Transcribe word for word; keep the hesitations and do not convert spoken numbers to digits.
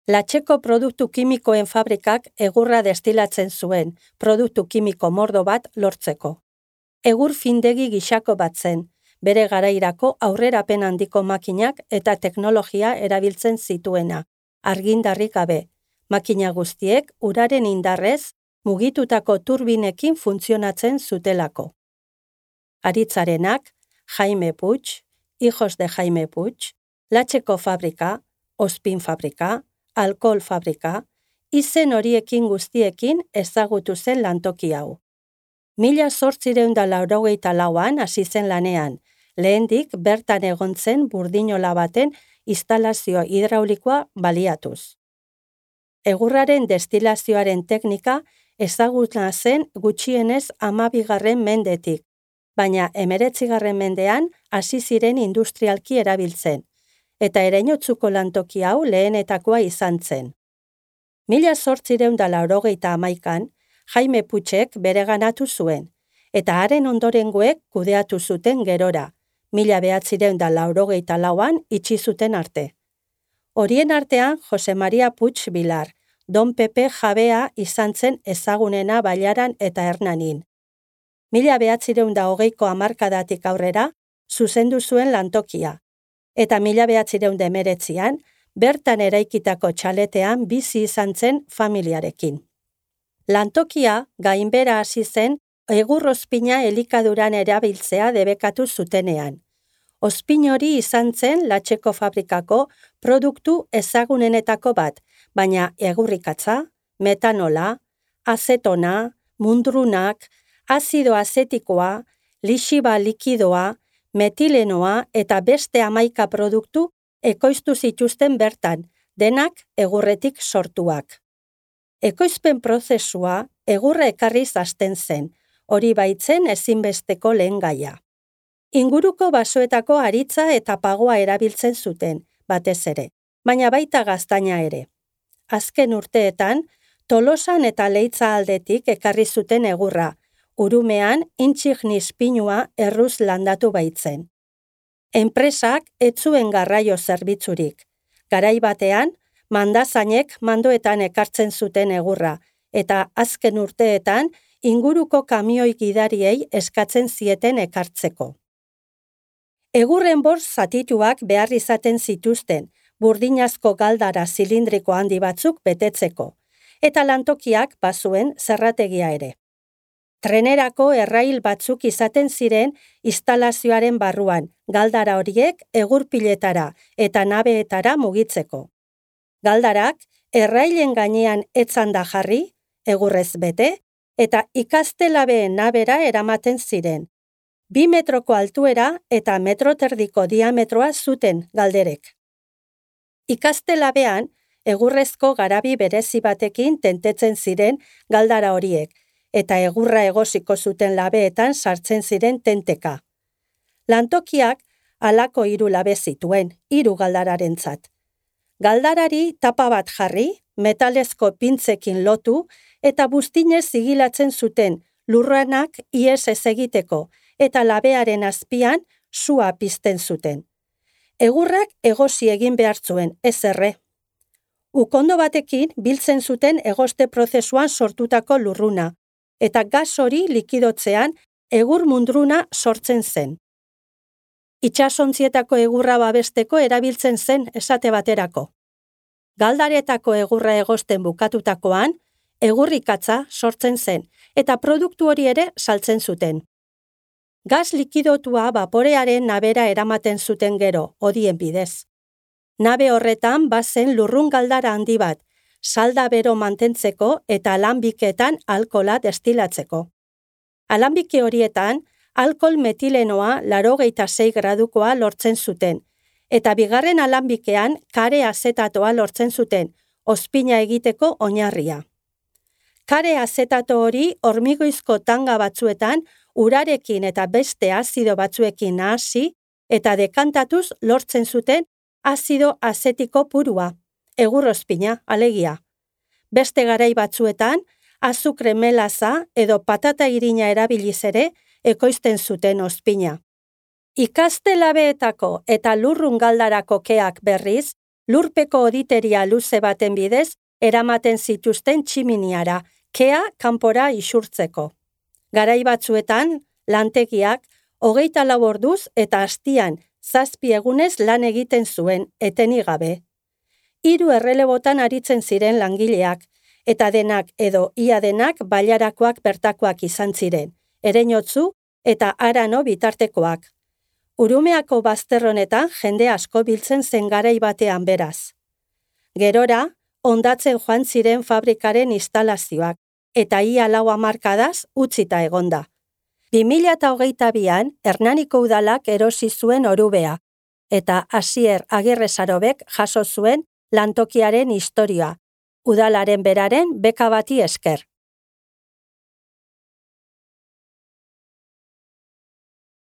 Latxeko produktu kimikoen fabrikak egurra destilatzen zuen, produktu kimiko mordo bat lortzeko. Egur findegi gixako bat zen, bere garairako aurrerapen handiko makinak eta teknologia erabiltzen zituena, argindarrik gabe. Makina guztiek uraren indarrez mugitutako turbinekin funtzionatzen zutelako. Aritzarenak, Jaime Puig, Hijos de Jaime Puig, Latxeko fabrika, Ospin fabrika, Alkohol fabrika, izen horiekin guztiekin ezagutu zen lantoki hau. Mila zortzireun da laurogeita lauan hasi zen lanean, lehendik bertan egon zen burdinola baten instalazio hidraulikoa baliatuz. Egurraren destilazioaren teknika ezaguna zen gutxienez hamabigarren mendetik, baina hemeretzigarren mendean hasi ziren industrialki erabiltzen, eta ereinotzuko lantoki hau lehenetakoa izan zen. Mila zortzireun da laurogeita hamaikan, Jaime Puigek bereganatu zuen, eta haren ondorengoek kudeatu zuten gerora, mila behatzireun da laurogeita lauan itxi zuten arte. Horien artean Jose Maria Puig Bilar, Don Pepe jabea izan zen ezagunena Bailaran eta Hernanin. Mila behatzireun da hogeiko hamarkadatik aurrera, zuzendu zuen lantokia, eta mila behatzireun da hemeretzian, bertan eraikitako txaletean bizi izan zen familiarekin. Lantokia gainbera hasi zen egur ozpina elikaduran erabiltzea debekatu zutenean. Ozpin hori izan zen Latxeko fabrikako produktu ezagunenetako bat, baina egurrikatza, metanola, azetona, mundrunak, azido azetikoa, lixiba likidoa, metilenoa eta beste hamaika produktu ekoiztu zituzten bertan, denak egurretik sortuak. Ekoizpen prozesua egurra ekarriz hasten zen, hori baitzen ezinbesteko lehen gaia. Inguruko basoetako aritza eta pagoa erabiltzen zuten, batez ere, baina baita gaztaina ere. Azken urteetan, Tolosan eta Leitza aldetik ekarri zuten egurra, Urumean intsignis pinua erruz landatu baitzen. Enpresak ez zuen garraio zerbitzurik. Garai batean, mandazainek mandoetan ekartzen zuten egurra, eta azken urteetan inguruko kamioi gidariei eskatzen zieten ekartzeko. Egurren bortz zatituak behar izaten zituzten, burdinazko galdara zilindriko handi batzuk betetzeko, eta lantokiak bazuen zerrategia ere. Trenerako errail batzuk izaten ziren instalazioaren barruan, galdara horiek egurpiletara eta nabeetara mugitzeko. Galdarak errailen gainean etzanda jarri, egurrez bete, eta ikastelabeen nabera eramaten ziren. Bi metroko altuera eta metro terdiko diametroa zuten galderek. Ikastelabean, egurrezko garabi berezi batekin tentetzen ziren galdara horiek, eta egurra egosiko zuten labeetan sartzen ziren tenteka. Lantokiak halako hiru labe zituen, hiru galdararentzat. Galdarari tapa bat jarri, metalezko pintzekin lotu, eta buztinez zigilatzen zuten lurranak ihes ez egiteko, eta labearen azpian sua pizten zuten. Egurrak egosi egin behar zuen, ez erre. Ukondo batekin biltzen zuten egoste prozesuan sortutako lurruna, eta gas hori likidotzean egur mundruna sortzen zen. Itsasontzietako egurra babesteko erabiltzen zen esate baterako. Galdaretako egurra egosten bukatutakoan, egurrikatza sortzen zen, eta produktu hori ere saltzen zuten. Gas likidotua baporearen nabera eramaten zuten gero, hodien bidez. Nabe horretan bazen lurrun galdara handi bat, salda bero mantentzeko eta alanbiketan alkohola destilatzeko. Alanbike horietan, alkohol metilenoa laurogeita sei gradukoa lortzen zuten, eta bigarren alanbikean kare azetatoa lortzen zuten, ozpina egiteko oinarria. Kare azetato hori hormigoizko tanga batzuetan urarekin eta beste azido batzuekin nahasi eta dekantatuz lortzen zuten azido azetiko purua, egurrozpina, alegia. Beste garai batzuetan, azukre melaza edo patata irina erabiliz ere ekoizten zuten ozpina. Ikastelabeetako eta lurrun galdarako keak berriz, Lurpeko oditeria luze baten bidez eramaten zituzten tximiniara, kea kanpora isurtzeko. Garai batzuetan, lantegiak hogeita lau orduz eta astian zazpi egunez lan egiten zuen, etenik gabe. Hiru errelebotan aritzen ziren langileak, eta denak edo ia denak bailarakoak bertakoak izan ziren, Ereinotzu eta Arano bitartekoak. Urumeako bazterronetan jende asko biltzen zen garai batean beraz. Gerora, hondatzen joan ziren fabrikaren instalazioak, eta ia lau hamarkadaz utzita egonda. bi mila hogeita bian Hernaniko udalak erosi zuen Orubea, eta Asier Agirrezarobek jaso zuen lantokiaren historia, udalaren beraren beka bati esker.